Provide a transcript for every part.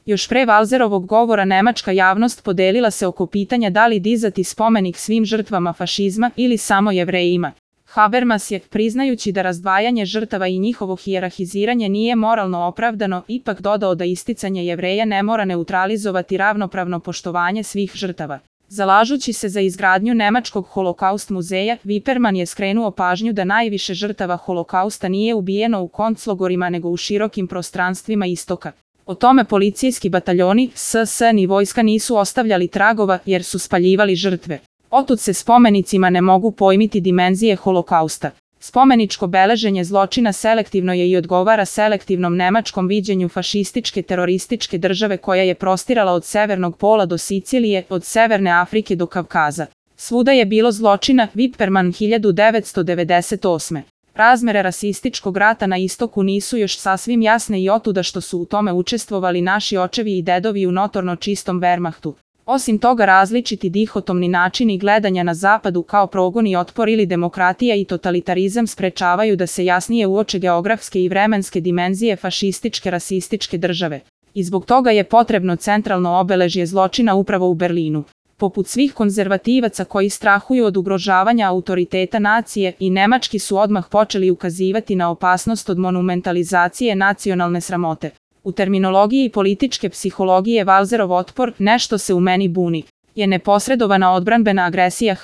Još pre Walzerovog govora nemačka javnost podelila se oko pitanja da li dizati spomenik svim žrtvama fašizma ili samo Jevrejima. Habermas je, priznajući da razdvajanje žrtava i njihovo hijerarhiziranje nije moralno opravdano, ipak dodao da isticanje Jevreja ne mora neutralizovati ravnopravno poštovanje svih žrtava. Zalažući se za izgradnju nemačkog holokaust muzeja, Viperman je skrenuo pažnju da najviše žrtava holokausta nije ubijeno u konclogorima nego u širokim prostranstvima istoka. O tome policijski bataljoni, SS ni vojska nisu ostavljali tragova jer su spaljivali žrtve. Otud se spomenicima ne mogu pojmiti dimenzije holokausta. Spomeničko beleženje zločina selektivno je i odgovara selektivnom nemačkom viđenju fašističke terorističke države koja je prostirala od severnog pola do Sicilije, od severne Afrike do Kavkaza. Svuda je bilo zločina, Viperman 1998. Razmere rasističkog rata na istoku nisu još sasvim jasne i otuda što su u tome učestvovali naši očevi i dedovi u notorno čistom Wehrmachtu. Osim toga različiti dihotomni načini gledanja na zapadu kao progon i otpor ili demokratija i totalitarizam sprečavaju da se jasnije uoče geografske i vremenske dimenzije fašističke rasističke države. I zbog toga je potrebno centralno obeležje zločina upravo u Berlinu. Poput svih konzervativaca koji strahuju od ugrožavanja autoriteta nacije, i nemački su odmah počeli ukazivati na opasnost od monumentalizacije nacionalne sramote. U terminologiji političke psihologije Walzerov otpor, nešto se u meni buni, je neposredovana odbranbena agresija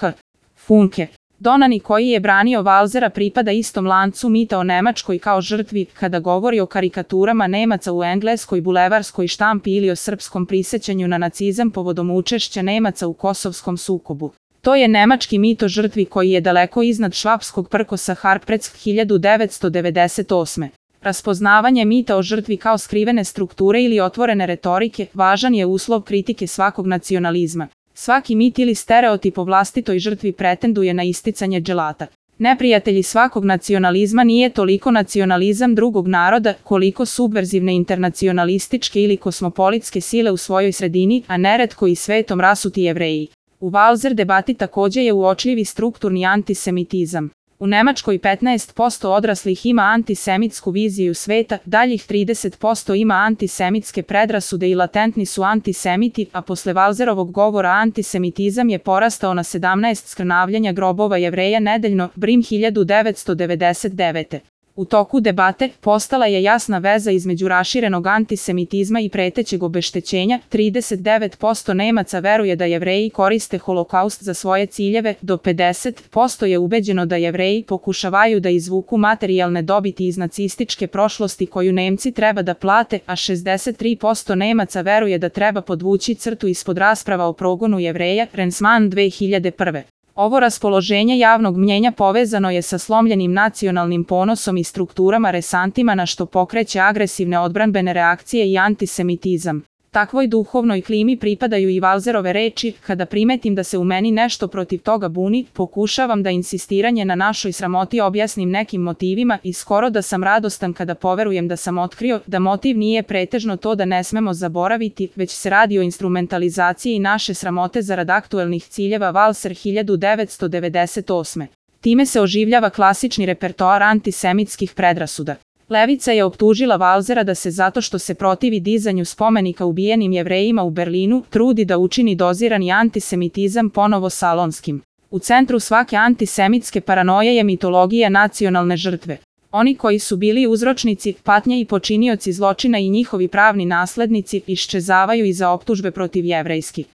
Funke. Donani koji je branio Walzera pripada istom lancu mita o Nemačkoj kao žrtvi, kada govori o karikaturama Nemaca u engleskoj bulevarskoj štampi ili o srpskom prisećanju na nacizam povodom učešća Nemaca u kosovskom sukobu. To je nemački mit o žrtvi koji je daleko iznad švapskog prkosa Harpreck 1998. Raspoznavanje mita o žrtvi kao skrivene strukture ili otvorene retorike važan je uslov kritike svakog nacionalizma. Svaki mit ili stereotip o vlastitoj žrtvi pretenduje na isticanje dželata. Neprijatelji svakog nacionalizma nije toliko nacionalizam drugog naroda, koliko subverzivne internacionalističke ili kosmopolitske sile u svojoj sredini, a neretko i svetom rasuti Jevreji. U Walzer debati također je uočljivi strukturni antisemitizam. U Nemačkoj 15% odraslih ima antisemitsku viziju sveta, daljih 30% ima antisemitske predrasude i latentni su antisemiti, a posle Walzerovog govora antisemitizam je porastao na 17 skrnavljanja grobova Jevreja nedeljno, Brim 1999. U toku debate postala je jasna veza između raširenog antisemitizma i pretećeg obeštećenja. 39% Nemaca veruje da Jevreji koriste holokaust za svoje ciljeve, do 50% je ubeđeno da Jevreji pokušavaju da izvuku materijalne dobiti iz nacističke prošlosti koju Nemci treba da plate, a 63% Nemaca veruje da treba podvući crtu ispod rasprava o progonu Jevreja, Rensman 2001. Ovo raspoloženje javnog mnjenja povezano je sa slomljenim nacionalnim ponosom i strukturama resantima na što pokreće agresivne odbranbene reakcije i antisemitizam. Takvoj duhovnoj klimi pripadaju i Walzerove reči: kada primetim da se u meni nešto protiv toga buni, pokušavam da insistiranje na našoj sramoti objasnim nekim motivima i skoro da sam radostan kada poverujem da sam otkrio da motiv nije pretežno to da ne smemo zaboraviti, već se radi o instrumentalizaciji naše sramote zarad aktuelnih ciljeva. Walzer 1998. Time se oživljava klasični repertoar antisemitskih predrasuda. Levica je optužila Walzera da se zato što se protivi dizanju spomenika ubijenim Jevrejima u Berlinu, trudi da učini dozirani antisemitizam ponovo salonskim. U centru svake antisemitske paranoje je mitologija nacionalne žrtve. Oni koji su bili uzročnici patnje i počinioci zločina i njihovi pravni naslednici iščezavaju iza optužbe protiv jevrejskih